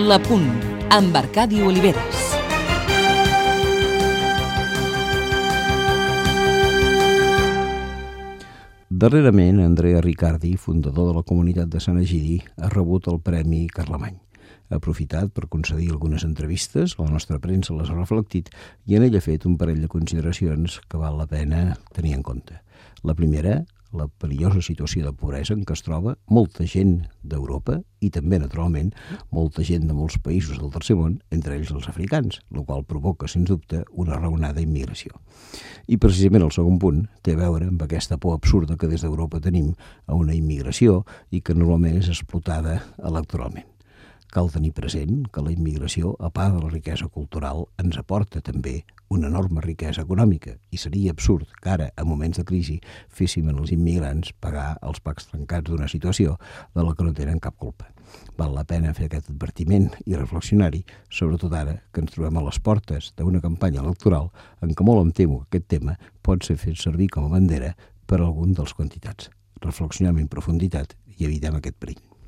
La Punt, amb Arcadi Oliveres. Darrerament, Andrea Riccardi, fundador de la comunitat de Sant Egidi, ha rebut el Premi Carlemany. Ha aprofitat per concedir algunes entrevistes, la nostra premsa les ha reflectit i en ell ha fet un parell de consideracions que val la pena tenir en compte. La primera, la perillosa situació de pobresa en què es troba molta gent d'Europa i també, naturalment, molta gent de molts països del tercer món, entre ells els africans, el qual provoca, sens dubte, una raonada immigració. I precisament el segon punt té a veure amb aquesta por absurda que des d'Europa tenim a una immigració i que normalment és explotada electoralment. Cal tenir present que la immigració, a part de la riquesa cultural, ens aporta també una enorme riquesa econòmica i seria absurd que ara, a moments de crisi, féssim als immigrants pagar els pacs trencats d'una situació de la que no tenen cap culpa. Val la pena fer aquest advertiment i reflexionar-hi, sobretot ara que ens trobem a les portes d'una campanya electoral en què molt em temo que aquest tema pot ser fet servir com a bandera per a algun dels quantitats. Reflexionem en profunditat i evitem aquest perill.